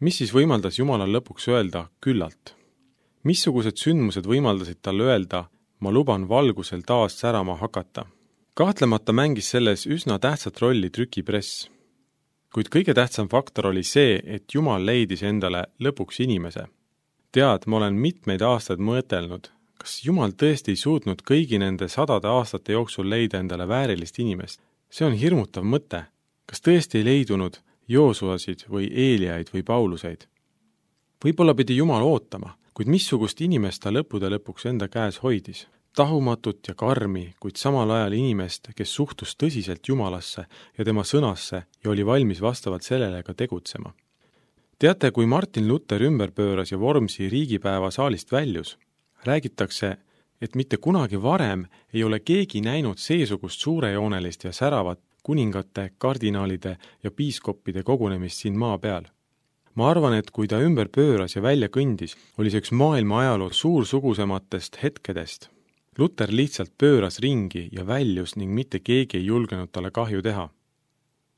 Mis siis võimaldas Jumalal lõpuks öelda küllalt? Missugused sündmused võimaldasid talle öelda, ma luban valgusel taas särama hakata? Kahtlemata mängis selles üsna tähtsat rolli trükipress. Kuid kõige tähtsam faktor oli see, et Jumal leidis endale lõpuks inimese. Tead, ma olen mitmeid aastaid mõtelnud, kas Jumal tõesti ei suutnud kõigi nende 100 aastate jooksul leida endale väärilist inimest? See on hirmutav mõte. Kas tõesti ei leidunud Joosuasid või Eeliaid või Pauluseid? Võib-olla pidi Jumal ootama, kuid missugust inimest ta lõppude lõpuks enda käes hoidis? Tahumatut ja karmi, kuid samal ajal inimest, kes suhtus tõsiselt Jumalasse ja tema sõnasse ja oli valmis vastavalt sellele ka tegutsema. Teate, kui Martin Luther ümber pööras ja Vormsi riigipäeva saalist väljus, räägitakse, et mitte kunagi varem ei ole keegi näinud seesugust suurejoonelist ja säravat kuningate, kardinaalide ja piiskoppide kogunemist siin maa peal. Ma arvan, et kui ta ümber pööras ja välja kõndis, oli see üks maailma ajaloo suursugusematest hetkedest. Luther lihtsalt pööras ringi ja väljus ning mitte keegi ei julgenud talle kahju teha.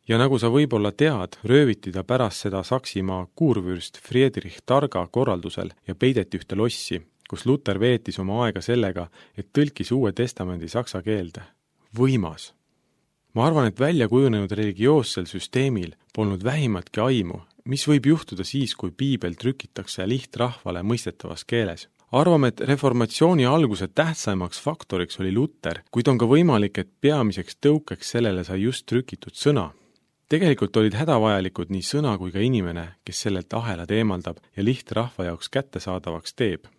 Ja nagu sa võib-olla tead, rööviti ta pärast seda Saksimaa kuurvürst Friedrich Targa korraldusel ja peideti ühte lossi, kus Luther veetis oma aega sellega, et tõlkis Uue Testamendi saksa keelde. Võimas! Ma arvan, et välja kujunenud religioossel süsteemil polnud vähimatki aimu, mis võib juhtuda siis, kui piibel trükitakse lihtrahvale mõistetavas keeles. Arvame, et reformatsiooni alguse tähtsaimaks faktoriks oli Luther, kuid on ka võimalik, et peamiseks tõukeks sellele sai just trükitud sõna. Tegelikult olid hädavajalikud nii sõna kui ka inimene, kes sellelt ahelad eemaldab ja lihtrahva jaoks kättesaadavaks teeb.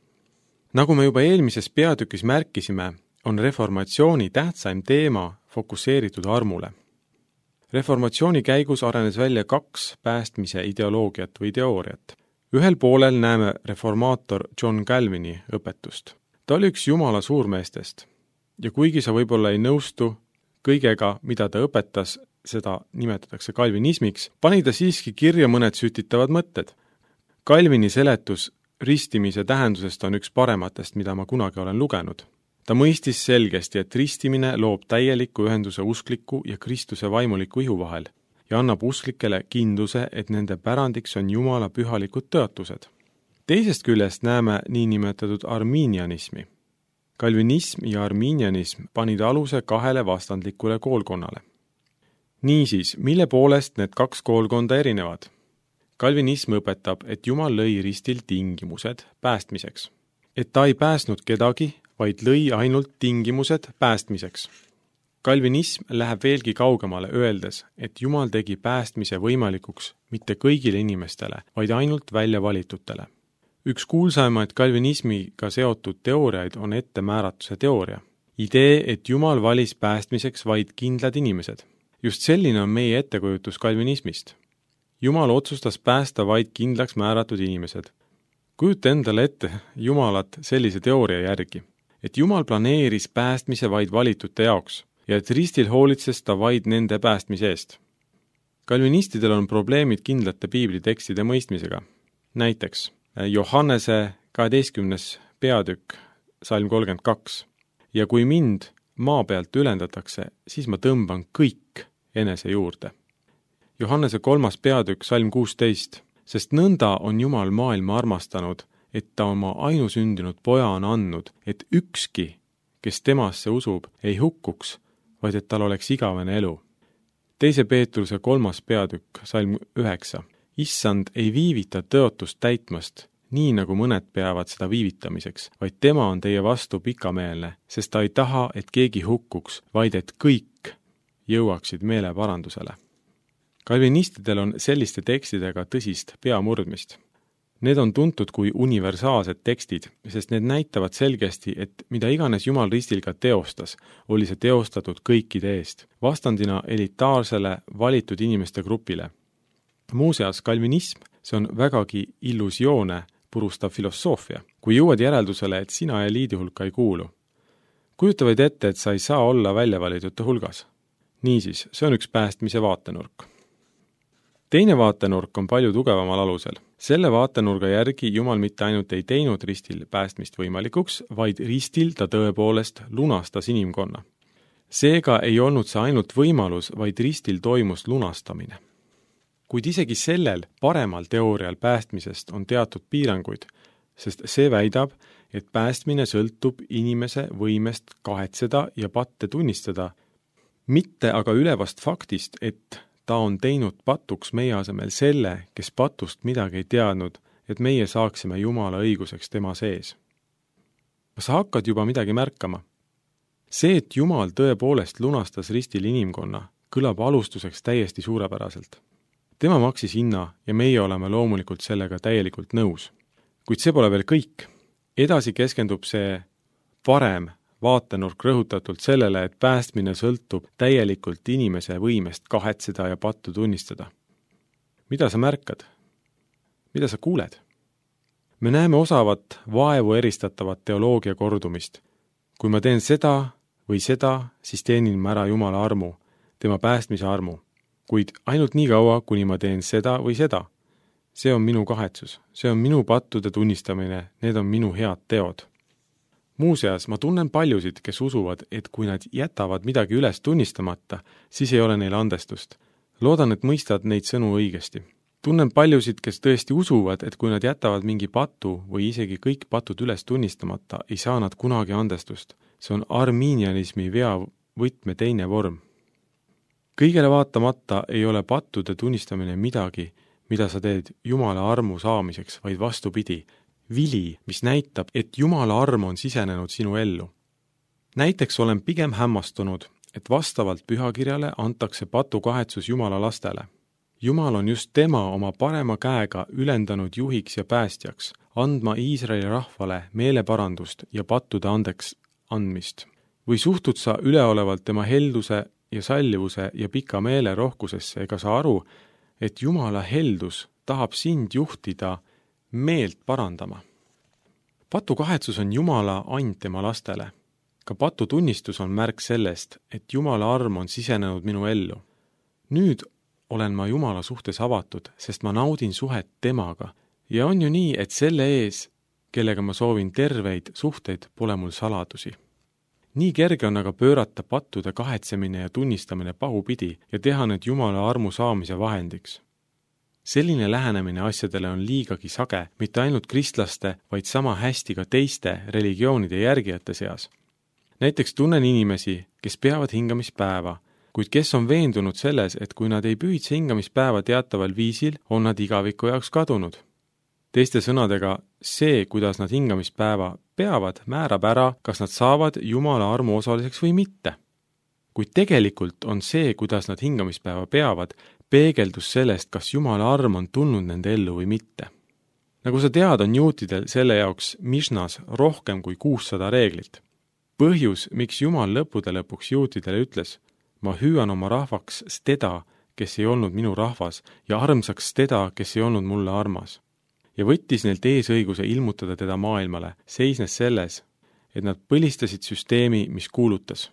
Nagu me juba eelmises peatükis märkisime, on reformatsiooni tähtsaim teema fokusseeritud armule. Reformatsiooni käigus arenes välja 2 päästmise ideoloogiat või teooriat. Ühel poolel näeme reformaator John Calvini õpetust. Ta oli üks Jumala suurmeestest ja kuigi sa võib-olla ei nõustu kõigega, mida ta õpetas, seda nimetatakse kalvinismiks, pani ta siiski kirja mõned sütitavad mõtted. Calvini seletus ristimise tähendusest on üks parematest, mida ma kunagi olen lugenud. Ta mõistis selgesti, et ristimine loob täieliku ühenduse uskliku ja Kristuse vaimuliku ihu vahel ja annab usklikele kindluse, et nende pärandiks on Jumala pühalikud tõotused. Teisest küljest näeme niinimetatud arminianismi. Kalvinism ja arminianism panid aluse 2 vastandlikule koolkonnale. Niisiis, mille poolest need 2 koolkonda erinevad? Kalvinism õpetab, et Jumal lõi ristil tingimused päästmiseks. Et ta ei päästnud kedagi, vaid lõi ainult tingimused päästmiseks. Kalvinism läheb veelgi kaugemale öeldes, et Jumal tegi päästmise võimalikuks mitte kõigile inimestele, vaid ainult välja valitutele. Üks kuulsaimaid kalvinismiga seotud teooriaid on ettemääratuse teooria. Idee, et Jumal valis päästmiseks vaid kindlad inimesed. Just selline on meie ettekujutus kalvinismist. Jumal otsustas päästa vaid kindlaks määratud inimesed. Kujuta endale ette Jumalat sellise teooria järgi, et Jumal planeeris päästmise vaid valitute jaoks ja et ristil hoolitses ta vaid nende päästmise eest. Kalvinistidel on probleemid kindlate piiblitekstide mõistmisega. Näiteks Johannese 12. peatükk, salm 32. Ja kui mind maa pealt ülendatakse, siis ma tõmban kõik enese juurde. Johannese 3. peatükk, salm 16. Sest nõnda on Jumal maailma armastanud, et ta oma ainusündinud poja on andnud, et ükski, kes temasse usub, ei hukkuks, vaid et tal oleks igavene elu. 2. Peetruse 3. peatükk, salm 9. Issand ei viivita tõotust täitmast, nii nagu mõned peavad seda viivitamiseks, vaid tema on teie vastu pikameelne, sest ta ei taha, et keegi hukkuks, vaid et kõik jõuaksid meeleparandusele. Kalvinistidel on selliste tekstidega tõsist peamurdmist. Need on tuntud kui universaalsed tekstid, sest need näitavad selgesti, et mida iganes Jumal ristil ka teostas, oli see teostatud kõikide eest, vastandina elitaarsele valitud inimeste grupile. Muuseas, kalvinism, see on vägagi illusioone purustav filosoofia, kui jõuad järeldusele, et sina eliidi hulka ei kuulu. Kujuta vaid ette, et sa ei saa olla väljavalitute hulgas. Niisiis, see on üks päästmise vaatenurk. Teine vaatenurk on palju tugevamal alusel. Selle vaatenurga järgi Jumal mitte ainult ei teinud ristil päästmist võimalikuks, vaid ristil ta tõepoolest lunastas inimkonna. Seega ei olnud see ainult võimalus, vaid ristil toimus lunastamine. Kuid isegi sellel paremal teoorial päästmisest on teatud piiranguid, sest see väidab, et päästmine sõltub inimese võimest kahetseda ja patte tunnistada, mitte aga ülevast faktist, et ta on teinud patuks meie asemel selle, kes patust midagi ei teadnud, et meie saaksime Jumala õiguseks tema sees. Kas sa hakkad juba midagi märkama? See, et Jumal tõepoolest lunastas ristil inimkonna, kõlab alustuseks täiesti suurepäraselt. Tema maksis hinna ja meie oleme loomulikult sellega täielikult nõus. Kuid see pole veel kõik. Edasi keskendub see parem vaatenurk rõhutatult sellele, et päästmine sõltub täielikult inimese võimest kahetseda ja pattu tunnistada. Mida sa märkad? Mida sa kuuled? Me näeme osavat vaevu eristatavat teoloogia kordumist. Kui ma teen seda või seda, siis teenin ma ära Jumala armu, tema päästmise armu. Kuid ainult nii kaua, kuni ma teen seda või seda. See on minu kahetsus, see on minu pattude tunnistamine, need on minu head teod. Muuseas, ma tunnen paljusid, kes usuvad, et kui nad jätavad midagi üles tunnistamata, siis ei ole neil andestust. Loodan, et mõistad neid sõnu õigesti. Tunnen paljusid, kes tõesti usuvad, et kui nad jätavad mingi patu või isegi kõik patud üles tunnistamata, ei saa nad kunagi andestust. See on arminianismi vea võtme teine vorm. Kõigele vaatamata ei ole pattude tunnistamine midagi, mida sa teed Jumala armu saamiseks, vaid vastupidi, vili, mis näitab, et Jumala arm on sisenenud sinu ellu. Näiteks olen pigem hämmastunud, et vastavalt pühakirjale antakse patukahetsus Jumala lastele. Jumal on just tema oma parema käega ülendanud juhiks ja päästjaks, andma Iisraeli rahvale meeleparandust ja pattude andeks andmist. Või suhtud sa üleolevalt tema helduse ja sallivuse ja pika meele rohkusesse ega sa aru, et Jumala heldus tahab sind juhtida meelt parandama. Patukahetsus on Jumala and tema lastele. Ka patutunnistus on märk sellest, et Jumala arm on sisenenud minu ellu. Nüüd olen ma Jumala suhtes avatud, sest ma naudin suhet temaga. Ja on ju nii, et selle ees, kellega ma soovin terveid suhteid, pole mul saladusi. Nii kerge on aga pöörata pattude kahetsemine ja tunnistamine pahupidi ja teha need Jumala armu saamise vahendiks. Selline lähenemine asjadele on liigagi sage, mitte ainult kristlaste, vaid sama hästi ka teiste religioonide järgijate seas. Näiteks tunnen inimesi, kes peavad hingamispäeva, kuid kes on veendunud selles, et kui nad ei pühitse hingamispäeva teataval viisil, on nad igaviku jaoks kadunud. Teiste sõnadega, see, kuidas nad hingamispäeva peavad, määrab ära, kas nad saavad Jumala armu osaliseks või mitte. Kuid tegelikult on see, kuidas nad hingamispäeva peavad, peegeldus sellest, kas Jumala arm on tulnud nende ellu või mitte. Nagu sa tead, on juutidel selle jaoks Mishnas rohkem kui 600 reeglit. Põhjus, miks Jumal lõppude lõpuks juutidele ütles, ma hüüan oma rahvaks teda, kes ei olnud minu rahvas, ja armsaks teda, kes ei olnud mulle armas. Ja võttis neilt eesõiguse ilmutada teda maailmale, seisnes selles, et nad põlistasid süsteemi, mis kuulutas.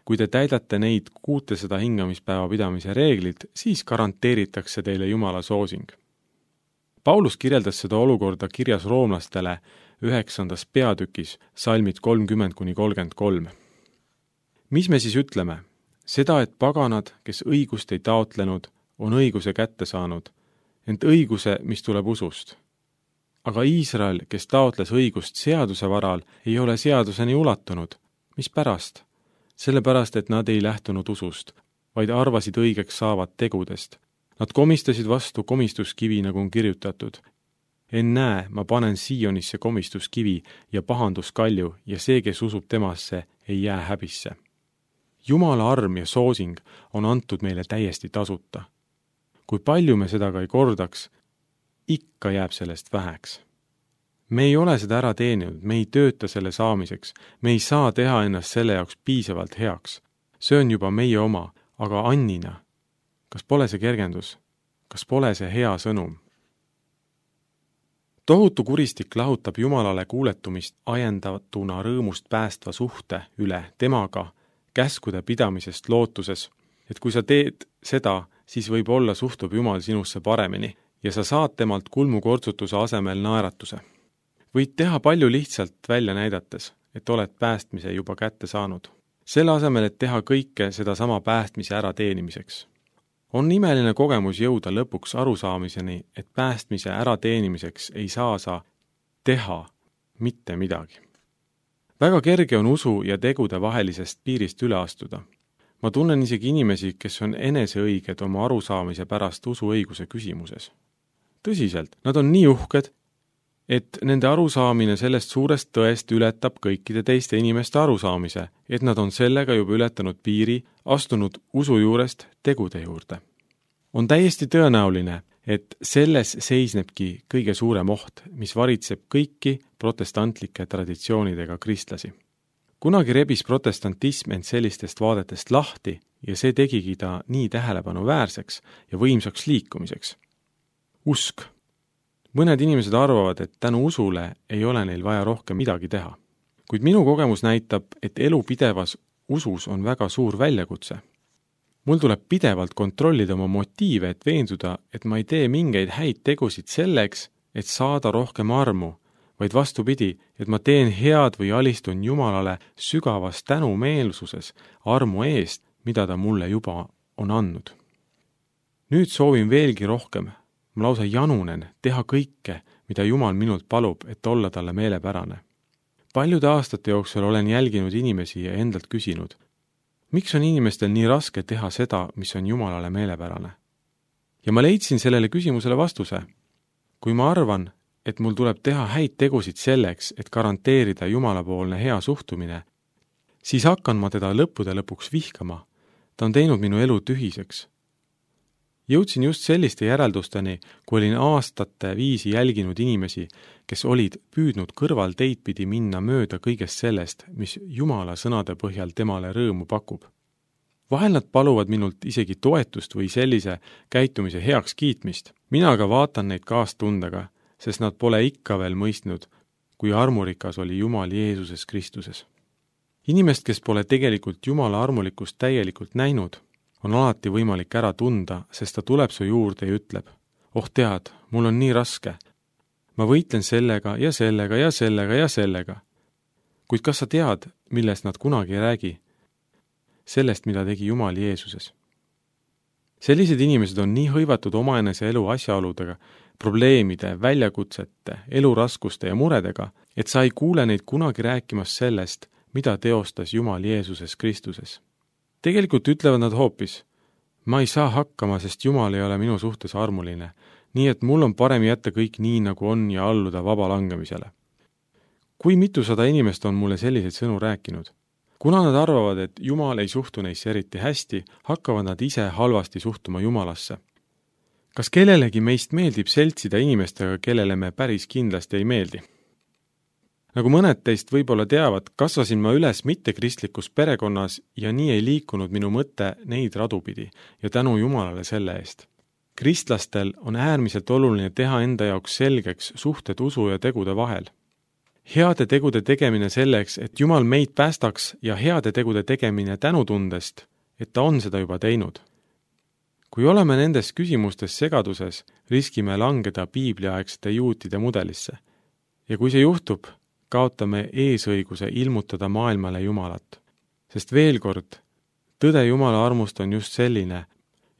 Kui te täidate neid 600 hingamispäeva pidamise reeglid, siis garanteeritakse teile Jumala soosing. Paulus kirjeldas seda olukorda kirjas roomlastele 9. peatükis, salmid 30-33. Mis me siis ütleme? Seda, et paganad, kes õigust ei taotlenud, on õiguse kätte saanud, ent õiguse, mis tuleb usust. Aga Iisrael, kes taotles õigust seaduse varal, ei ole seaduseni ulatunud. Mis pärast? Sellepärast, et nad ei lähtunud usust, vaid arvasid õigeks saavad tegudest. Nad komistasid vastu komistuskivi, nagu on kirjutatud. Ennäe, ma panen Siionisse komistuskivi ja pahanduskalju ja see, kes usub temasse, ei jää häbisse. Jumala arm ja soosing on antud meile täiesti tasuta. Kui palju me seda ka ei kordaks, ikka jääb sellest väheks. Me ei ole seda ära teeninud, me ei tööta selle saamiseks, me ei saa teha ennast selle jaoks piisavalt heaks. See on juba meie oma, aga annina. Kas pole see kergendus? Kas pole see hea sõnum? Tohutu kuristik lahutab Jumalale kuuletumist ajendatuna rõõmust päästva suhte üle temaga, käskude pidamisest lootuses, et kui sa teed seda, siis võib-olla suhtub Jumal sinusse paremini ja sa saad temalt kulmukortsutuse asemel naeratuse. Võid teha palju lihtsalt välja näidates, et oled päästmise juba kätte saanud. Selle asemel, et teha kõike seda sama päästmise ära teenimiseks. On imeline kogemus jõuda lõpuks arusaamiseni, et päästmise ärateenimiseks ei saa sa teha mitte midagi. Väga kerge on usu ja tegude vahelisest piirist üle astuda. Ma tunnen isegi inimesi, kes on eneseõiged oma arusaamise pärast usuõiguse küsimuses. Tõsiselt, nad on nii uhked, et nende arusaamine sellest suurest tõest ületab kõikide teiste inimeste arusaamise, et nad on sellega juba ületanud piiri, astunud usu juurest tegude juurde. On täiesti tõenäoline, et selles seisnebki kõige suurem oht, mis varitseb kõiki protestantlike traditsioonidega kristlasi. Kunagi rebis protestantism end sellistest vaadetest lahti ja see tegigi ta nii tähelepanuväärseks ja võimsaks liikumiseks. Usk. Mõned inimesed arvavad, et tänu usule ei ole neil vaja rohkem midagi teha. Kuid minu kogemus näitab, et elu pidevas usus on väga suur väljakutse. Mul tuleb pidevalt kontrollida oma motiive, et veenduda, et ma ei tee mingeid häid tegusid selleks, et saada rohkem armu, vaid vastupidi, et ma teen head või alistun Jumalale sügavas tänumeelsuses armu eest, mida ta mulle juba on andnud. Nüüd soovin veelgi rohkem. Ma lausa janunen teha kõike, mida Jumal minult palub, et olla talle meelepärane. Paljude aastate jooksul olen jälginud inimesi ja endalt küsinud, miks on inimestel nii raske teha seda, mis on Jumalale meelepärane? Ja ma leidsin sellele küsimusele vastuse. Kui ma arvan, et mul tuleb teha häid tegusid selleks, et garanteerida Jumalapoolne hea suhtumine, siis hakkan ma teda lõppude lõpuks vihkama. Ta on teinud minu elu tühiseks. Jõudsin just selliste järeldusteni, kui olin aastate viisi jälginud inimesi, kes olid püüdnud kõrval teid pidi minna mööda kõigest sellest, mis Jumala sõnade põhjal temale rõõmu pakub. Vahel nad paluvad minult isegi toetust või sellise käitumise heaks kiitmist. Mina aga vaatan neid kaastundega, sest nad pole ikka veel mõistnud, kui armurikas oli Jumal Jeesuses Kristuses. Inimest, kes pole tegelikult Jumala armulikkust täielikult näinud, on alati võimalik ära tunda, sest ta tuleb su juurde ja ütleb, oh tead, mul on nii raske. Ma võitlen sellega ja sellega ja sellega ja sellega. Kuid kas sa tead, millest nad kunagi ei räägi? Sellest, mida tegi Jumal Jeesuses. Sellised inimesed on nii hõivatud omaenese elu asjaoludega, probleemide, väljakutsete, eluraskuste ja muredega, et sa ei kuule neid kunagi rääkimas sellest, mida teostas Jumal Jeesuses Kristuses. Tegelikult ütlevad nad hoopis, ma ei saa hakkama, sest Jumal ei ole minu suhtes armuline, nii et mul on parem jätta kõik nii, nagu on ja alluda vaba langemisele. Kui mitusada inimest on mulle selliseid sõnu rääkinud? Kuna nad arvavad, et Jumal ei suhtu neisse eriti hästi, hakkavad nad ise halvasti suhtuma Jumalasse. Kas kellelegi meist meeldib seltsida inimestega, kellele me päris kindlasti ei meeldi? Nagu mõned teist võib-olla teavad, kasvasin ma üles mittekristlikus perekonnas ja nii ei liikunud minu mõte neid radupidi ja tänu Jumalale selle eest. Kristlastel on äärmiselt oluline teha enda jaoks selgeks suhted usu ja tegude vahel. Heade tegude tegemine selleks, et Jumal meid päästaks ja heade tegude tegemine tänutundest, et ta on seda juba teinud. Kui oleme nendes küsimustes segaduses, riskime langeda piibliaegsete juutide mudelisse. Ja kui see juhtub, kaotame eesõiguse ilmutada maailmale Jumalat. Sest veel kord, tõde Jumala armust on just selline,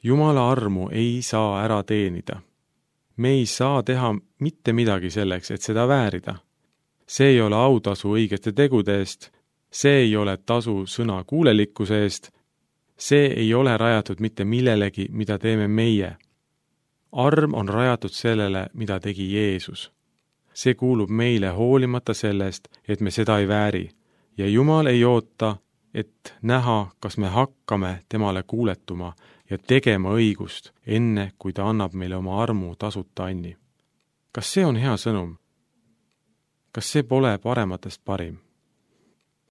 Jumala armu ei saa ära teenida. Me ei saa teha mitte midagi selleks, et seda väärida. See ei ole autasu õigete tegude eest, see ei ole tasu sõna kuulelikkuse eest, see ei ole rajatud mitte millelegi, mida teeme meie. Arm on rajatud sellele, mida tegi Jeesus. See kuulub meile hoolimata sellest, et me seda ei vääri, ja Jumal ei oota, et näha, kas me hakkame temale kuuletuma ja tegema õigust, enne kui ta annab meile oma armu tasuta anni. Kas see on hea sõnum? Kas see pole parematest parim?